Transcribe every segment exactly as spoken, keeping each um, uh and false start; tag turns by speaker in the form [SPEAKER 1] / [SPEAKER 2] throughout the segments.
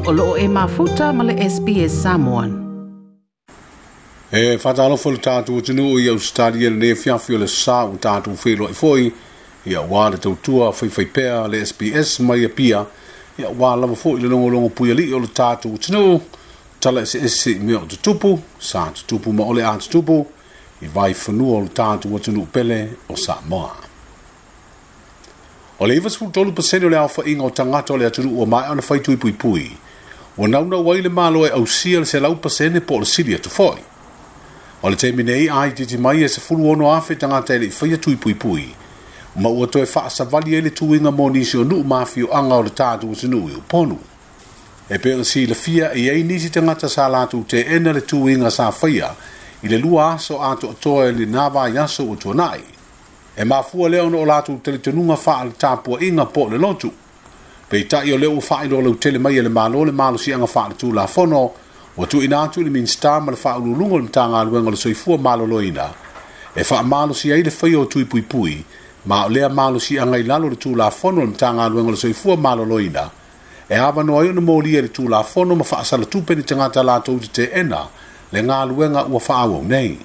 [SPEAKER 1] O loo e mafuta ma le S B S Samoan.
[SPEAKER 2] E whātalo le tātou atunuu i Australia le ne fiafi o le sa o tātou whenua i foi. Ia wā le tautua whaiwhai pea le S B S mai a pia. Ia wā lava foi le longolongo puiali o le tātou atunuu. Tala ese ese mea o tutupu, sa tutupu ma ole a tutupu. I vai whanua o le tātou atunuu pele o Samoa. O le iwa sefulu tolu pasene o le alfa inga o tangata o le atunuu o mai ana whai tui pui pui. Ua nauna wai le malo e ausia le selau pasene po o le sili atu foi. O le teimi nei ai titi mai e se fulu ono afe tangata e le whaia tui pui pui. Ma ua toe whaasavali e le tuinga mō nisi o nuu mawhio anga o le tātou atunuu i uponu. E pea si le fia e ei nisi tangata sa lātou te ena le tuinga sa whaia i le lua aso ato atoa e le nāwai aso o tuanai. E mafua leo no o lātou teletonunga wha le tāpua inga po le lotu. Peitai o leo whailo lau tele mai e le malo le malo si anga wha le tū la fono, o tu ina atu le minsta ma le whaululungo le mtanga aluenga le soifua maloloina. E wha malo si ai le whai o tui pui pui, ma o lea malo si anga i lalo le tū la fono le mtanga aluenga le soifua maloloina. E awa no ai ona mōlia le tū la fono ma whaasala tupe ni tangata lātou te te ena le ngā aluenga ua whaawau nei.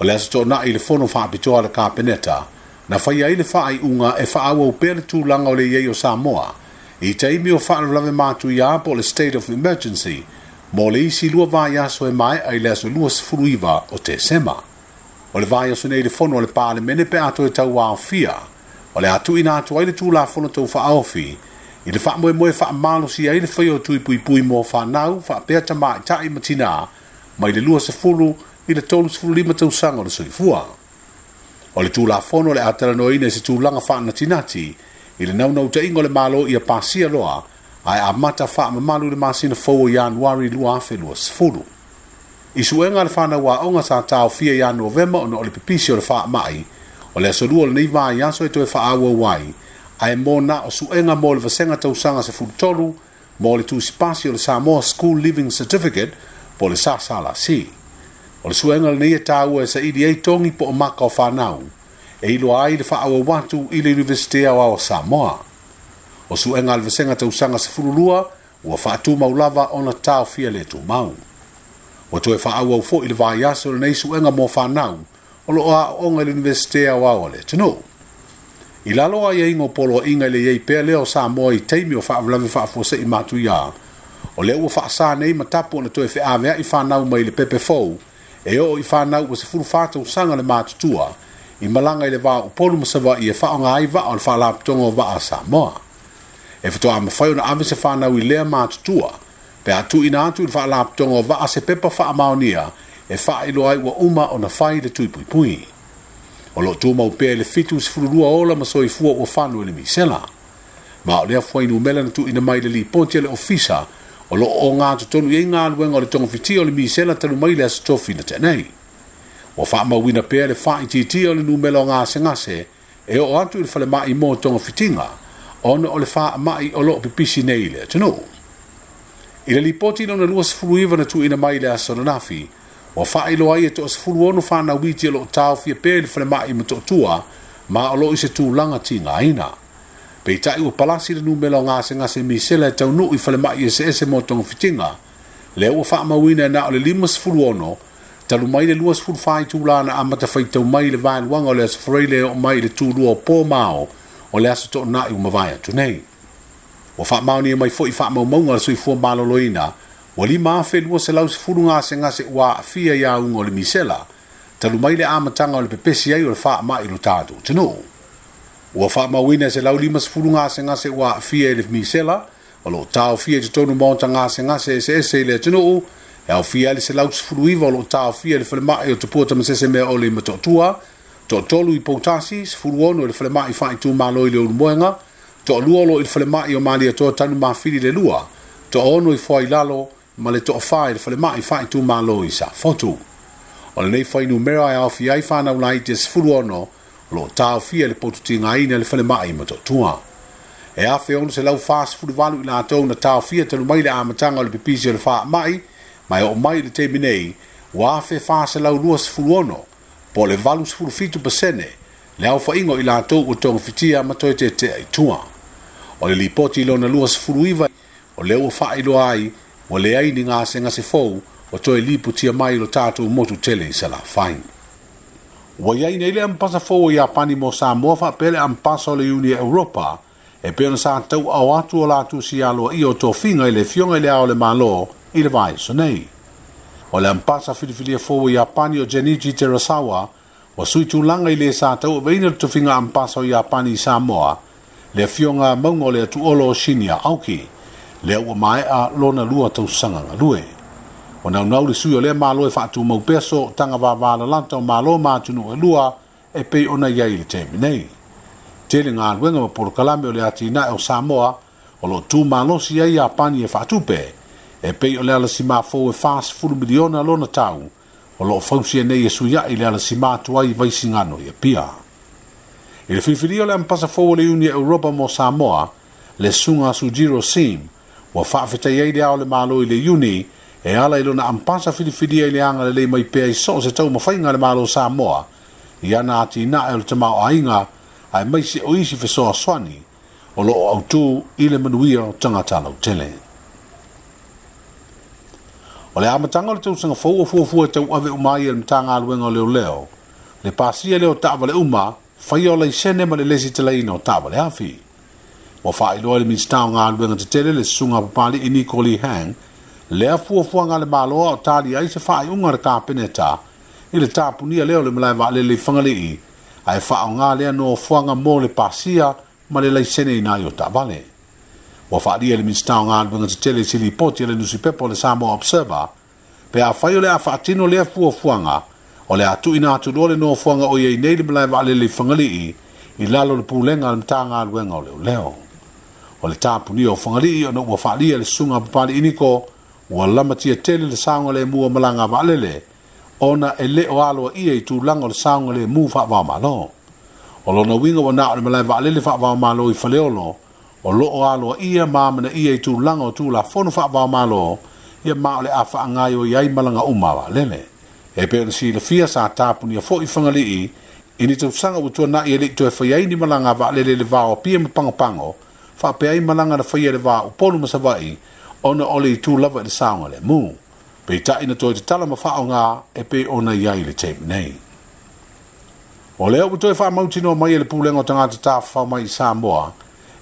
[SPEAKER 2] O le aso tōna i le fono whaapitoa le kāpeneta, na whai ai le whaai unga e whaawau pea le tūlanga o le iei o Samoa, i teimi o whaalawe mātu i apo le state of emergency, mō le isi lua vai aso e mai ai le aso lua sefulu iwa o te sema. O le vai aso nei le fono o le pālemene pe ato e tau aofia, o le atu ina atu ai le tūla fono tau whaaofi, i le whaamoe moe whaamalo si ai le whai o tui pui pui mō whanau, whaapea tamai tai matina, mai le lua sefulu i le tolu sefulu lima tausaga o le soifua. O le tūlafono le atalanoina i se tūlaga faanatinati i le naunautaiga o le malo ia pasia loa ae amata faamamalu le masina fou o Ianuari lua afe lua sefulu. I suega le whanau aoga sa taofia ia Novema ona o le pipisi o le faamai, o le aso lua o lenei vaiaso e toe faaauau ai, ae mo na o suega mo le vasega tausaga sefulu tolu mo le tusipasi o le Samoa School Leaving Certificate po le S S L C. O le suega lenei e tāua e saili ai togi po o maka o whanau, e iloa ai le faaauau atu i le Universite Aoao o Samoa. O suega le vasega tausaga sefulu lua, ua faatumau lava ona taofia le tumau. Ua toe faaauau foi le vaiaso lenei suega mo whanau, o loo aooga i le Universite Aoao o le atunuu. I lalo ai aiga o poloaiga i le iai pea lea o Samoa i taimi o faalavelave faafuasei matuia, o lea ua faasā nei ma tapu ona toe feaveai whanau mai le pepe fou, e oo i whanau ua sefulu whā tausaga le matutua, i malaga i le vā o Upolu ma Savaii e faaaoga ai vaa o le faalapotopotoga o vaa a Samoa. E faatoa mafai ona ave se whanau i lea matutua, pe a tuuina atu i le faalapotopotoga o vaa se pepa faamaonia, e faailoa ai ua uma ona fai le tui puipui. O loo tumau pea i le fitu sefulu lua ola ma soifua ua fanu i le misela. Ma o lea fuainumera na tuuina mai le lipoti a le ofisa, o loo o ngā totonu i ngā luenga o le tongafitia o le misela talu mai le aso tofi na tenei. Ua faamauina pea le faaitiitia o le numera o gasegase e oo atu i le falemai mo togafitiga, ona o le faamai o loo pipisi nei i le atunuu. I le lipoti lona lua sefulu iwa na tuuina mai le aso ananafi, ua faailoa ai e toasefulu ono fanau iti o loo taofia pea i le falemai Motootua, ma o loo i se tulaga tigaina. Peitai ua palasi le numera o gasegase misela e taunuu i falemai eseese mo togafitiga, lea ua faamauina e na o le lima sefulu ono, talu mai le lua sefulu fa itulā na amata faitau mai le vaeluaga o le aso Faraile e oo mai i le tulua o pō mao o le aso toonai ua mavae atu nei. Ua faamaonia mai foi faamaumauga a le soifua maloloina, ua lima afe lua selau sefulu gasegase ua aafia i auga o le misela, talu mai le amataga o le pepesi ai o le faamai i lo tatou atunuu. Ua faamauina e selau lima sefulu gasegase ua aafia i le misela, o loo taofia i totonu maota gasegase eseese i le atunuu, e aofia ai le selau sefulu iwa o loo taofia i le falemai o Tupua Tamasese Meaole i Motootua, toatolu i Poutasi, sefulu ono i le falemai faaitumalo i le Ulumoega, toalua o loo i le falemai o Malietoa Tanumafili le lua, toaono i Foailalo ma le toafā i le falemai faaitumalo i Safotu. O lenei fuainumera e aofia ai fanau laiti e sefulu ono o loo taofia i le potutigaina le falemai Motootua. E afe ono selau fasefulu valu i latou na taofia talu mai le amataga o le pipisi o le faamai, ma e oo mai i le taimi nei, ua afe fa selau lua sefulu ono, po o le valu sefulu fitu pasene, le aofaiga o i latou ua togafitia ma toe tetea i tua. O le lipoti lona lua sefulu iwa, O lea ua faailoa ai ua leai ni gasegase fou ua toe lipotia mai i lo tatou motu tele i Salafai. Ua iai nei le ampasa fou o Iapani mo Samoa faapea le ampasa o le Iuni Europa e pei ona sa tauaao atu o latou sialoaia o tofiga i le Afioga i le Ao o le Malo i le vaiaso nei. O le ampasa filifilia fou o Iapani o Jenichi Terasawa ua sui tulaga i le sa tauaveina le tofiga ampasa o Iapani i Samoa, le Afioga Mauga o le Atuolo o Shinya Aoki, lea ua maea lona lua tausaga galue. O naunau le sui o lea malo e faatumau pea sootaga vavalalata o malo ma atunuu e lua e pei ona i ai i le taimi nei. Tele galuega ma polokalame o le atinae o Samoa o loo tumalosi ai Iapani e faatupe e pei o le alasima fou e fasefulu miliona lona tau o loo fausia nei e suiai le alasima atu ai i Vaisigano i Apia. I le filifilia o le ampasa fou o le Iuni Europa mo Samoa, le susuga Sujiro Sim, ua faafetai ai le Ao o le Malo i le Iuni e ala i lona ampasa filifilia i le agalelei mai pea i so o se taumafaiga a le Malo o Samoa i ana atinae o le tamaoaiga aemaise o isi fesoasoani o loo autū i le manuia o tagata lautele. O le amataga o le tausaga fou o fuafua e tauave uma ai e le Matagaluega o Leoleo le pasia lea o taavale uma faia o laisene ma le lesitalaina o taavale afi. Ua faailoa e le Minisita o Galuega Tetele le susuga Papali'i Niko Lee Hang lea fuafuaga a le Malo o tali ai se faaiuga a le Kapeneta i le tapunia lea o le malae vaalele i Fagalii ae faaaoga lea nofoaga mo le pasia ma le laisene ina ai o taavale. Ua faaalia e le Minisita o Galuega Tetele i se lipoti a le nusipepa o le Samoa Observer pe afai o le a faatino lea fuafuaga o le a tuuina atu loa le nofoaga o i ai nei le malae vaalele i Fagalii i lalo o le pulega a le Matagaluega o Leoleo. O le tapunia o Fagalii ona ua faaalia le susuga Papali'i Niko ua lamatia tele le saogalemu o malaga vaalele ona e le o aloaia i tulaga o le saogalemu faavaomalo. O lona uiga ua na o le malae vaalele faavaomalo i Faleolo o loo aloaia ma amanaia i tulaga o Tulafono faavaomalo ia ma o le a faagaoioi ai malaga uma vaalele. E pei ona silafia sa tapunia foi Fagalii i ni tausaga ua tuanai e lei toe fai ai ni malaga vaalele i le va o Apia ma Pagopago faapea ai malaga na faia i le va o Upolu ma Savaii ona o le itu lava i le saogalemu. Peitai na toe tatala ma faaaoga e pei ona i ai i le taimi nei. O lea ua toe faamautinoa mai e le Pulega o Tagata Tafafao mai i Samoa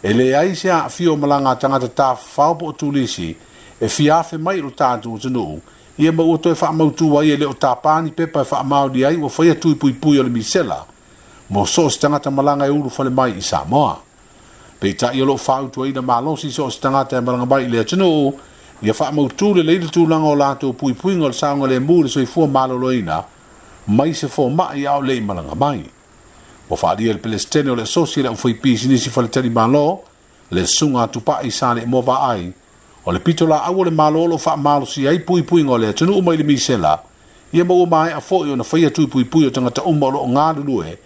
[SPEAKER 2] e leai se aafia o malaga a tagata tafafao po o turisi e fia afe mai i lo tatou atunuu ia ma ua toe faamautu ai e le o tapā ni pepa e faamaoni ai ua faia tui puipui o le misela mo so o se tagata malaga e ulufale mai i Samoa. Peitai o loo fautuaina malosi so o se tagata e malaga mai i le atunuu ia faamautu lelei le tulaga o latou puipuiga o le saogalemu i le soifua maloloina mai se fomai a o le i malaga mai. Ua faaalia e le Pelesitene o le Asosi le Aufaipisinisi Faletalimalo le susuga Tupai Saleimoa Vaai o le pitolaau o le Malo o loo faamalosia ai puipuiga o le atunuu mai le misela ia ma ua maea foi ona faia tui puipui o tagata uma o loo galulue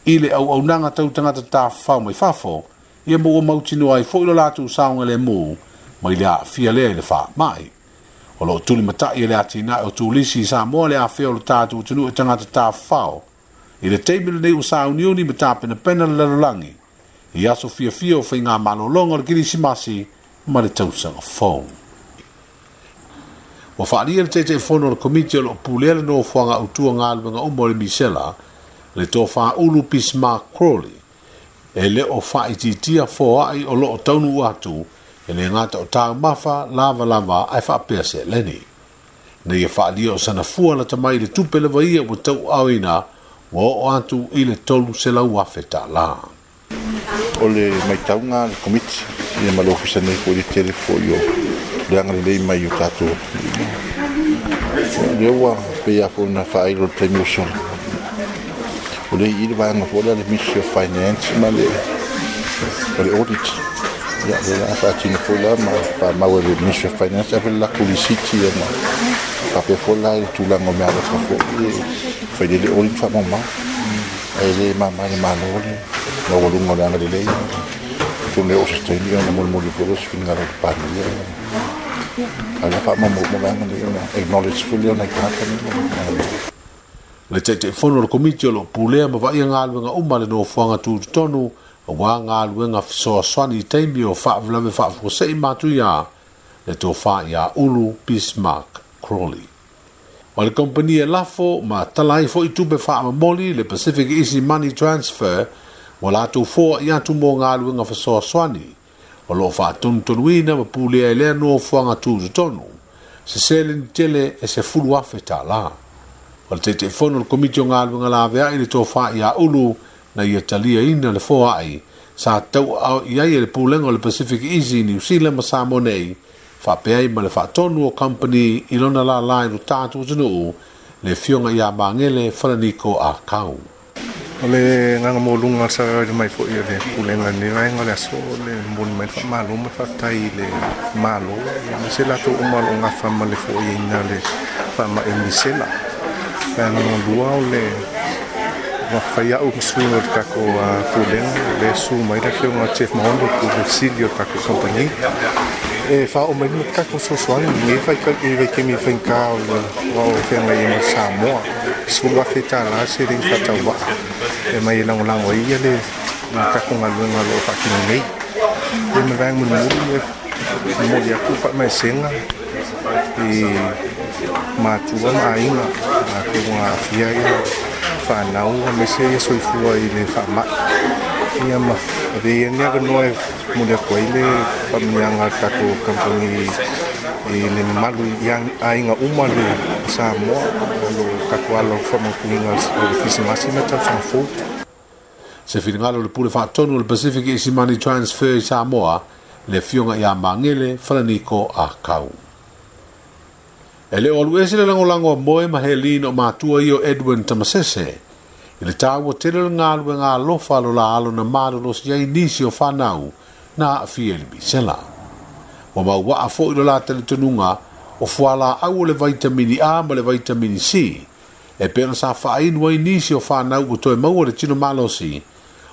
[SPEAKER 2] i le auaunaga tau tagata tafafao mai fafo ia ma ua mautinoa ai foi lo latou saogalemu mai le aafia lea i le faamai. O loo tulimatai e le atinae o turisi i Samoa le afea o le tatou atunuu e tagata tafafao i le taimi lenei ua sauniuni ma tapenapena le lalolagi i aso fiafia o faiga malologa o le Kerisimasi ma le tausaga fou. Ua faaalia le Taitaifono o le Komiti o loo pulea le nofoaga autua galuega uma o le misela le tofa Ulu Bismarck Crawley e le o faaitiitia foai o loo taunuu atu e le gata o taumafa lavalava ae faapea seleni. Nei e faaalia o sana fua lata mai i le tupe lava ia ua tauaaoina ua oo atu i le tolu selau afe tala.
[SPEAKER 3] O le maitauga a le Komiti ia ma le Ofisa nei foi i le tele foi o le agalelei mai o tatou atunuu. Lea ua pei lava foi ona faailo i le taimi ua sola. O lea i i le vaega foi lea a le Ministry of Finance ma le o le audit. Ia lea o le a faatino foi la ma faamau e le Ministry of Finance ave le latou lisiti ia ma faapea foi la i le tulaga o meaalofa foi e fai lea le audit faamaumau. Ae le mama i le Malo le maualuga o le agalelei. Atonu e oo se taimi ona molimoli foi lea o se finagalo o le Palemia. Ae o le a faamaumau uma vaega nei ona acknowledge foi lea o nai tagata nei.
[SPEAKER 2] Le Taitaifono o le Komiti o loo pulea ma vaaia galuega uma a le nofoaga tutotonu aua galuega fesoasoani i taimi o faalavelave faafuasei matuia Le tofā ia Ulu Bismarck Crawley. O le kompani e lafo ma talai fo i tupe whaamamoli le Pacific Easy Money Transfer wa lātou foa i atu mō ngā luenga whasoaswani o loo whaatonutonuina ma pulea e lea noa fuanga tūtutonu se seleni tele e se fulu afe tā la. O le Taitaifono o le komiti o ngā luenga lavea i le tofā ia Ulu na ia talia ina le foa ai sa tau au i ai e le pulenga o le Pacific Easy New Zealand ma Samoa nei whaapeai ma le whaatonu o company i lona la lai no tātou atunuu le fionga ia Mangele Falaniko a Kau.
[SPEAKER 4] O le nganga mōlunga sa raira mai fo i le pulenga ni vaenga le aso le moni mai wha malo ma whaatai le malo ia me se lato o malo ngā whama le fo i ina le whama e misela. Vaenga lua o le whai au masui o le kako pulenga le su mai le fionga Jeff Mahondo ku le sili o kako company. E wha o mai ni kako sosoani ni whai ka i wai kemi whainka o le wao whenga i ma Samoa. Sulu afe tā la se ring whatau waa. E mai e lango lango ia le kako ngā luenga lo whakino nei. E me vaenga muli e moli aku wha mai senga i mātua ma ainga a te ngā awhia ia whanau a mese ia soifua i le whamai. Ia ma ave ia nia noa e moli aku ai le whaminianga kako kampani i le mamalu i ainga uma le Samoa lo kako alo whamaukuinga o le Krisimasi ma tausaga fou.
[SPEAKER 2] Se whiringalo le pule whaatonu o le Pacific Easy Money Transfer i Samoa le fionga ia Mangele Falaniko a Kau. E leo alu ese le langolango a moe ma Helene o mātua i o Edwin Tamasese. I le tāua tele le ngā lue ngā lofa lo la alo na marolo si ai nisi o whanau na awhia le misela. Wa mau waa fo i lo la talitonuga o fuala au o le vitamini A ma le vitamini C. E pena sa whaainu ai nisi o whanau o toe maua le tino malosi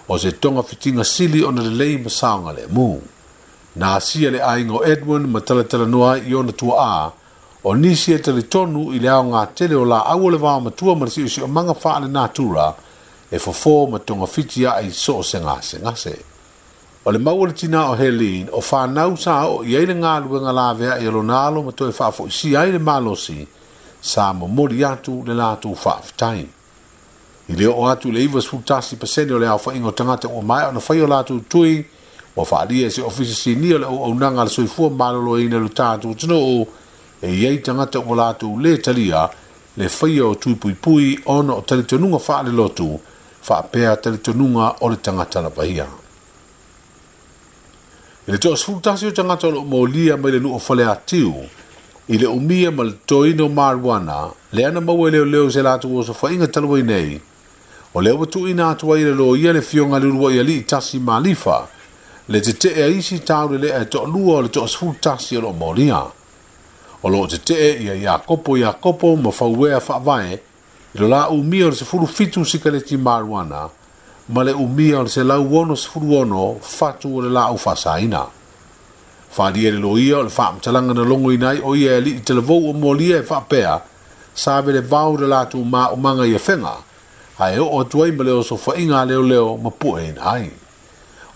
[SPEAKER 2] o se tonga fitinga sili o na le lei masaonga le mū. Nā sia le ainga o Edwin ma talatala noa i ona tua a o nisi e talitonu i le ao ngā tele o la au o le vā matua ma le sio o manga wha le natura e fofo ma tonga fiti a i so o se ngase ngase. O le maua le tina o Helene o whanau sa o i eile ngā luenga lavea i alonalo ma toe whaafo i si ai le malosi sa momori atu le lātou whaaftai. I leo o atu le iwa sefulutasi pasene o le ao whainga o tangata o mai o na whai o lātou tui wa whaalia e se ofisa sinia o le au aunanga le soifua malolo ina le tātou tino e iei tangata o lātou le talia le whaia o tui pui pui ona o talitonuga whaale lotu whaapea talitonuga o le tangata la pahia. I le toa sefulutasi o tangata o lo mōlia mai le nuu o whale atiu i le umia ma le toino marijuana le ana maua leo leo se lātou o sofainga taluai nei o leo watu ina atu ai le loia le fionga lurua i ali tasi malifa le te te e isi tau le lea e toa lua o le toa sefulutasi o lo mōlia. O lo te te ia Iakopo Iakopo ma whauea whaavae i lo la umia o le sefulu fitu sikaleti marijuana ma le umia o le se lau ono sefulu ono fatu o le lau whasaina. Wharia le loia o le whaamtalanga na longo inai o ia e li i te lavou o mōlia e whaapea sa vele vau le lātou mā umanga i a whenga ae o atu ai ma le oso whainga leo leo ma pue ina ai.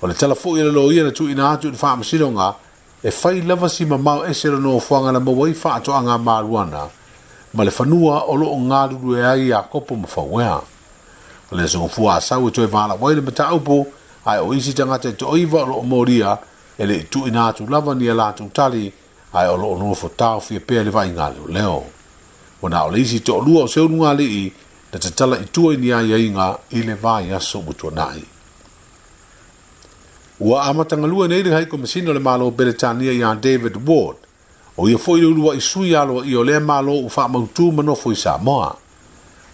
[SPEAKER 2] O le tala foi le loia na tu ina atu i le whaamasironga e whai lava si mamau ese le no fuanga na mawai whaatoanga maruana ma le whanua o loo ngāruru e ai a kopo ma whauea. O le songo fua asau e toe wala wai le mataupo ai o isi tangata e to oiva o loo moria e le tu ina atu lava ni a lātou tali ai o loo nofo tau fia pea le vai ngā leo leo. O nā o le isi to lua o se unu ngā lii na te tala i tua i ni ai ainga i le vai aso mutua nai. Ua amatanga lua nei le hai komisino le malo Beretania ia David Ward. O ia foi le ulua i sui aloa i o lea malo u whaamautu manofo i Samoa.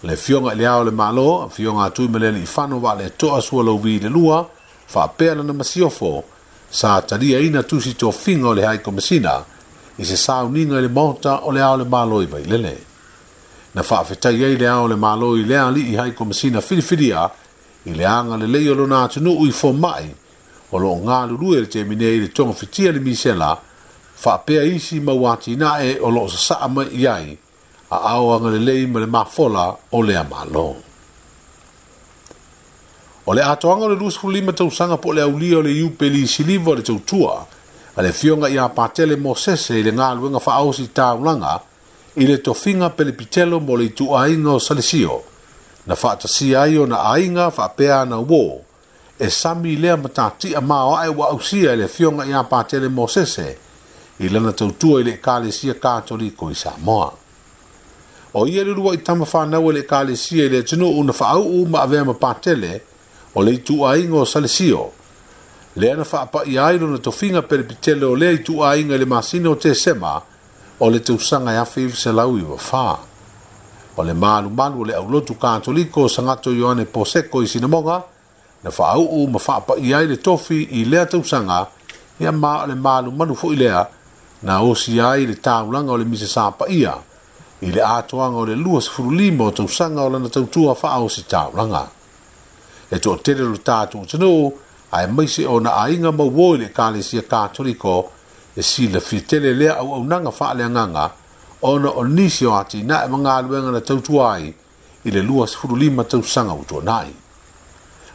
[SPEAKER 2] Le fionga i le ao le malo, fionga atu i malele i whano wa le toa sua lau vi le lua, whaapea lana masiofo, sa talia ina tusi tō finga o le hai komisina, i se sauninga i le maota o le ao le malo i vailele. Na whaafetai ai le ao le malo i lea li i hai komisina whiriwhiria, i le anga le lei o lona atunuu i fōmai, o lo ngā lulue le te mine i le tonga fitia le misela, whaapea isi mauati nae o lo sasaa mai iai, a ao anga le lei ma le mafola o lea malo. O le atoanga o le lusfulima tausanga po le aulia o le iupeli siliva o le tautua, a le Afioga ia Patele Mosese i le galuega faaosi taulaga i le tofiga pelepitelo mo le ituaiga o Salesio, na faatasia ai ona aiga faapea ana uō, e sami lea matatia maoae ua ausia e le Afioga ia Patele Mosese i lana tautua i le Ekalesia Katoliko i Samoa. O ia le lua'i tama fanau e le Ekalesia i le atunuu na faauu ma avea ma Patele o le ituaiga o Salesio, lea na faapaia ai lona tofiga pelepitele o lea ituaiga i le masina o Tesema o le tausaga e afe iva selau iva fa. O le malumalu o le aulotu Katoliko o Sagato Ioane Poseko i Sinamoga, na faauu ma faapaia ai le tofi i lea tausaga, ia ma o le malumalu fo'i lea na osia ai le taulaga o le misa sapaia i le atoaga o le luasefululima o tausaga o lana tautua faaosi taulaga. E toatele lo tatou atunuu aemaise ona aiga ma uō i le Ekalesia Katoliko e silafia tele lea auaunaga faaleagaga ona o nisi o atinae ma galuega na tautua ai i le luasefululima tausaga ua tuanai.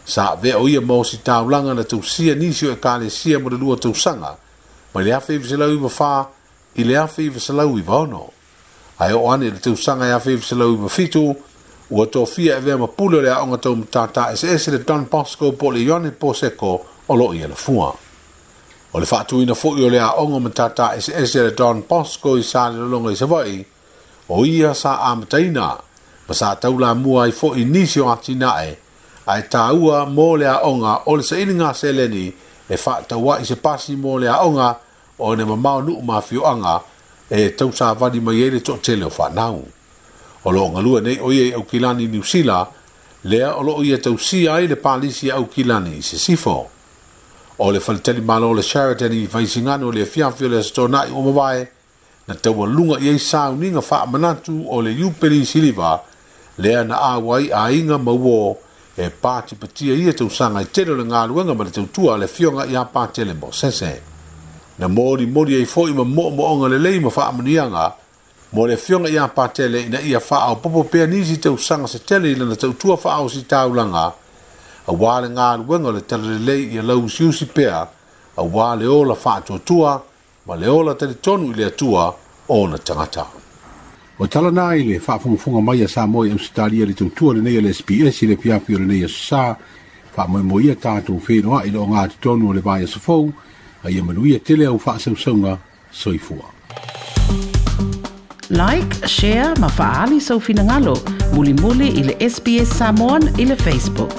[SPEAKER 2] Sa avea o ia ma osi taulaga na tausia nisi o Ekalesia mo le lua tausaga mai le afe iva selau iva fa i le afe iva selau iva ono. Ae oo ane i le tausaga e afe iva selau iva fitu, ua tofia e avea ma pule o le aoga tau matata eseese le Don Bosco po o le Ioane Poseko o loo i Alafua. O le faatuina fo'i o le aoga matata eseese le Don Bosco i Salelologa i Savaii, o ia sa amataina ma sa taulamua ai fo'i nisi o atinae ae taua mo le aoga o le sailiga seleni e faataua'i se pasi mo le aoga ona e mamao nuu ma afioaga e tausavali mai ai le toatele o fanau. O loo galue nei o ia i Aukilani Niu Sila, lea o loo ia tausia ai le palisi a Aukilani i Sisifo. O le faletalimalo o le Sheraton i Vaisigano i le afiafi o le Aso Toonai ua mavae, na taualuga i ai sauniga faamanatu o le Iupeli Siliva, lea na auai aiga ma uō e patipatia ia tausaga i tele o le galuega ma le tautua a le Afioga ia Patele Mosese. Na molimoli ai fo'i ma moomooga lelei ma faamanuiaga mo le Afioga ia Patele ina ia faaopoopo pea nisi tausaga se tele i lana tautua faaosi taulaga, auā le galuega o le talalelei ia lauusiusi pea, auā le ola faatuatua ma le ola talitonu i le Atua ona tagata. O tala na i le faafogafoga mai a Samoa i Ausetalia le tautua lenei a le S B S i le afiafi o lenei aso sa, faamoemoe tatou feiloai i le ogatotonu o le vaiaso fou, a ia manuia tele au faasausauga soifua.
[SPEAKER 1] Like, share ma faali sau finagalo, mulimuli i le S B S Samoan i le Facebook.